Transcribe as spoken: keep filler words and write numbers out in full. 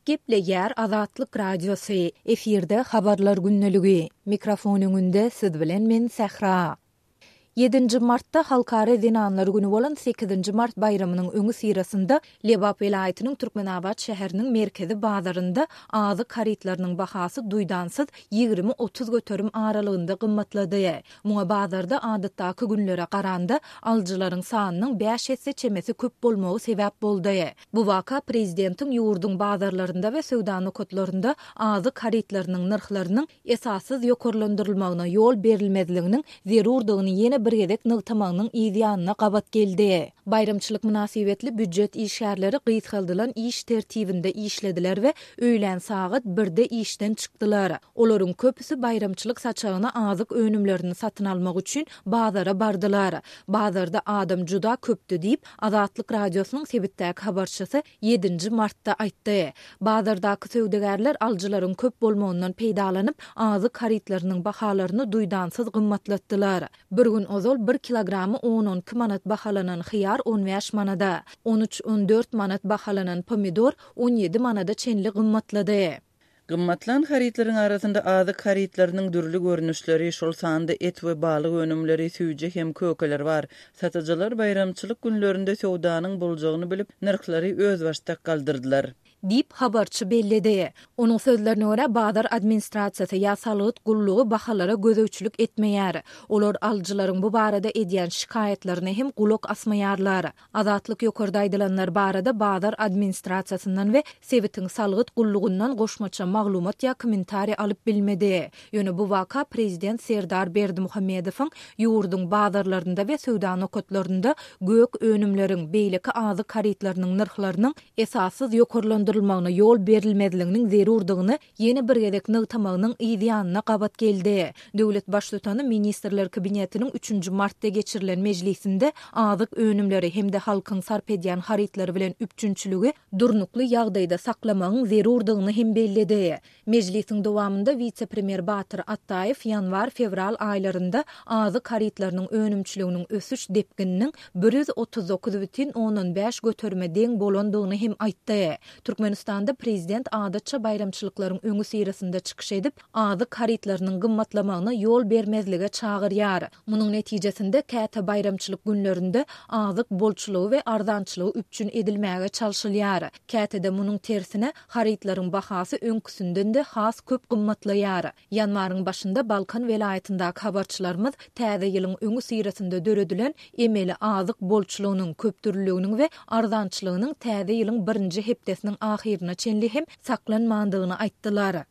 Gepleýär Azatlyk Radiosy, efirde Habarlar gündeligi. Mikrofon öňünde siz bilen men Sähra. Ýedinji martda Halkara zenanlar güni bolan sekizinji mart baýramynyň öňüsyrasynda Lebap welaýatynyň Türkmenabat şäheriniň merkezi bazarynda azyk harytlarynyň bahasy duýdansyz ýigrimi-otuz göterim aralygynda gymmatlady. Muňa bazarda adatdaky günlere garanda alyjylaryň sanynyň bäş esse çemesi köp bolmagy sebäp boldy. Bu waka prezidentiň ýurduň bazarlarynda we söwda nokatlarynda azyk harytlarynyň nyrhlarynyň esassyz ýokarlandyrylmagyna ýol berilmezliginiň zerurdygyny ýene bir gezek nygtamagynyň yz ýanyna gabat geldi. Baýramçylyk mynasybetli býujet işgärleri gysgaldylan iş tertibinde işlediler we öýlän sagat birde işden çykdylar. Olaryň köpüsi baýramçylyk saçagyna azyk önümlerini satyn almak üçin bazara bardylar. Bazarda adam juda köpdü diýip, Azatlyk Radiosynyň sebitdäki habarçysy ýedinji martda aýtdy. Bazardaky söwdagärler alyjylaryň köp bolmagyndan peýdalanyp, azyk harytlarynyň bahalaryny duýdansyz gymmatlatdylar. Bir gün ozal bir kilogramy on-on iki manat bahalanan hyýar on bäş manada, on üç-on dört manat bahalanan pomidor on ýedi manada çenli gymmatlady. Gymmatlan harytlaryň arasynda azyk harytlarynyň dürli görnüşleri, şol sanda et we balyk önümleri, süýji hem kökeler bar. Satyjylar baýramçylyk günlerinde söwdanyň boljagyny bilip, nyrhlary özbaşdak galdyrdylar. Diýip, habarçy belledi. Onuň sözlerine görä, bazar administrasiýasy ýa salgyt gullugy bahalara gözegçilik etmeýär. Olar alyjylaryň bu barada edýän şikaýatlaryna hem gulak asmaýarlar. Azatlyk ýokarda aýdylanlar barada bazar administrasiýasyndan we sebitiň salgyt gullugyndan goşmaça maglumat ýa kommentariý alyp bilmedi. Ýöne bu waka prezident Serdar Berdimuhamedowyň ýurduň bazarlarynda we söwda nokatlarynda gök önümleriň, beýleki azyk harytlarynyň nyrhlarynyň esassyz ýokarlandyrylmagyna ýol berilmezliginiň zerurdygyny ýene bir gezek nygtamagynyň yz ýanyna gabat geldi. Döwlet baştutany Ministrler Kabinetiniň üçünji martda geçirilen mejlisinde azyk önümleri hem-de halkyň sarp edýän harytlary bilen üpjünçiligi durnukly ýagdaýda saklamagyň zerurdygyny hem belledi. Mejlisiň dowamynda wise-premýer Batyr Atdaýew ýanwar-fewral aýlarynda azyk harytlarynyň önümçiliginiň ösüş depgininiň bir ýüz otuz dokuz bütin ondan bäş göterime deň bolandygyny hem aýtdy. Türkmenistanda prezident adatça baýramçylyklaryň öňüsyrasynda çykyş edip, azyk harytlarynyň gymmatlamagyna ýol bermezlige çagyrýar. Munuň netijesinde käte baýramçylyk günlerinde azyk bolçulygy we arzançylygy üpjün edilmäge çalşylýar. Käte-de munuň tersine harytlaryň bahasy öňküsinden-de has köp gymmatlaýar. Ýanwaryň başynda Balkan welaýatyndaky habarçylarymyz täze ýylyň öňüsyrasynda döredilen emeli azyk bolçulygynyň, köpdürlüliginiň we arzançylygynyň täze ýylyň birinji hepdesiniň ahyryna çenli hem saklanmandygyny aýtdylar.